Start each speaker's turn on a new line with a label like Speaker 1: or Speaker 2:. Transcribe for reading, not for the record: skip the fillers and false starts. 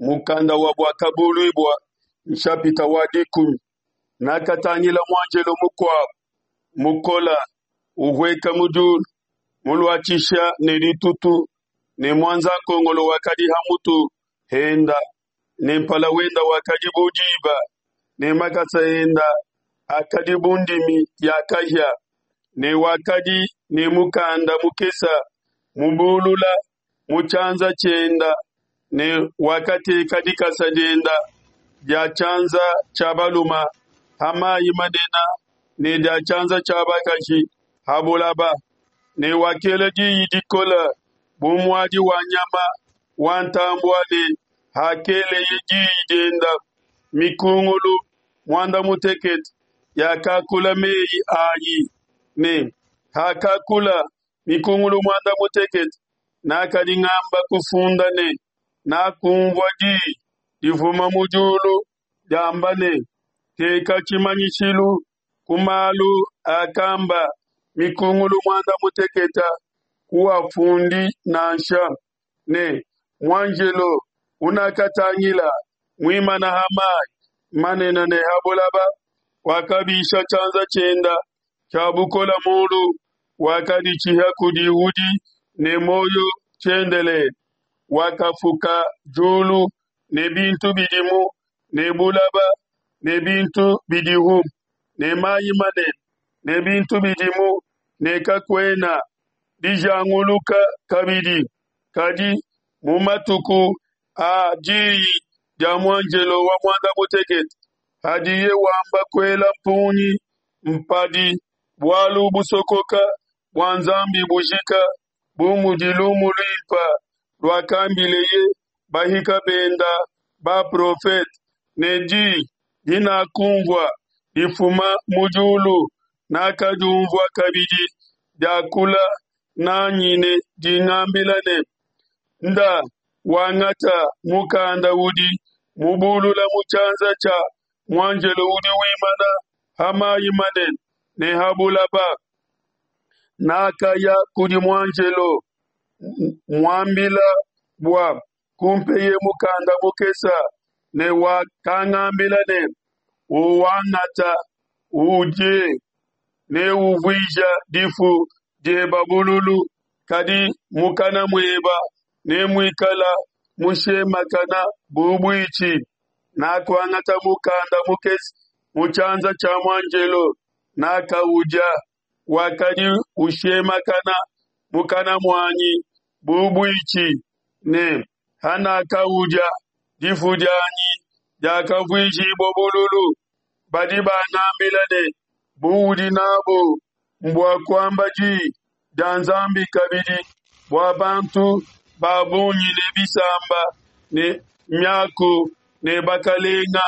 Speaker 1: Mukanda wa Buakabuluibua nshapita wa 10. Nakatangila muanjelo mukuabo mukola uhueka mu diulu, muluatshisha ne ditutu, ne muanzankongolo wakadi ha mutu henda, ne mpala wenda wakadi bu diba, ne makasa enda akadi bu ndimi ya kahia, ne wakadi ne mukanda mukese mubulula mu tshianza tshienda, ne wakateka dikasa dienda dia tshianza tshia baluma ha mayi manene ne dia tshianza tshia bakaji ha bulaba, ne wakela diyi dikole bu muadi wa nyama wa ntambue, ne hakeleye diyi dienda, mikungulu muanda mutekete yakakula meyi ayi, ne hakakula mikungulu muanda mutekete, nakadi ngamba kufunda ne nakunvua diyi difuma mu diulu diamba ne, Teka tshimanyishilu ku malu akamba mikungulu muanda mutekete, kuafundi nansha. Ne muanjelo unakatangila muimana ha mai manene ne ha bulaba, wakabisha tshianza tshienda tshia bukole mulu, wakaditshiha kudi udi ne muoyo tshiendelele, wakafuka diulu ne bintu bidimu ne bulaba ne bintu bidihu ne mayi manene ne bintu bidimu, ne kakuena dijanguluka kabidi. Kadi mu matuku a diyi dia muanjelo wa muanda mutekete, hadiye wamba kuela mpungi, mpadi bualu busokoka bua Nzambi bujika, bu mudi lumu luimpe luakambileye bahika benda baprofete, ne di dinakunvua difuma mu diulu, nakadiunvua kabidi diakula n'anyi ne dingambila ne, Nda wangata mukanda udi mubulula mu tshianza tshia muanjelo udi wimana ha mayi manene ne ha bulaba. Nakaya kudi muanjelo muambila bua kumpeye mukanda mukese, ne wakangambila ne, Uwangata, udie, neuvuije difu dieba bululu, kadi mukana mueba nemuikala mushemakana bu buitshi. Nakuangata mukanda mukese mu tshianza tshia muanjelo, nakaudia, wakadi ushemakana mukana muanyi bu buitshi, ne hanakaudia, difu dianyi diakavuijibua bululu. Badi bangambila ne, Buudi n'abu mbua kuamba di dia Nzambi kabidi bua bantu ba bungi ne bisamba ne miaku ne bakalenga.